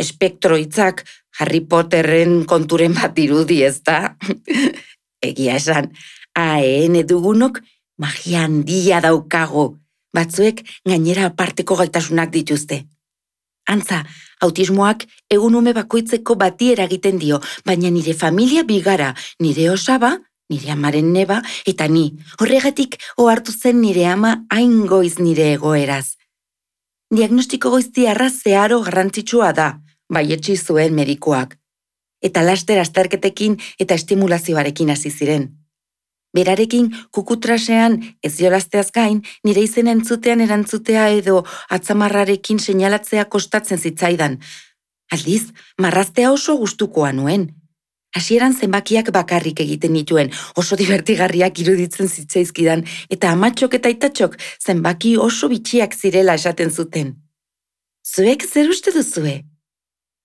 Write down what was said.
espektroitzak Harry Potterren konturen bat dirudi, ezta? Egia esan, AEN dugunok magia handia daukago. Batzuek gainera aparteko gaitasunak dituzte. Antza, autismoak egun ume bakoitzeko bati eragiten dio, baina nire familia bigara, nire osaba, nire amaren neba, eta ni. Horregatik ohartu zen nire ama hain goiz nire egoeraz. Diagnostiko goiztiarra zeharo garrantzitsua da, baietsi zuen medikuak. Eta laster azterketekin eta estimulazioarekin hasi ziren. Berarekin kukutrasean ez jolazteaz gain, nire izena entzutean erantzutea edo atzamarrarekin seinalatzea kostatzen zitzaidan. Aldiz, marraztea oso gustukoa nuen. Hasieran zenbakiak bakarrik egiten nituen, oso divertigarriak iruditzen zitzaizkidan, eta amatxok eta aitatxok zenbaki oso bitxiak zirela esaten zuten. Zuek zer uste duzue?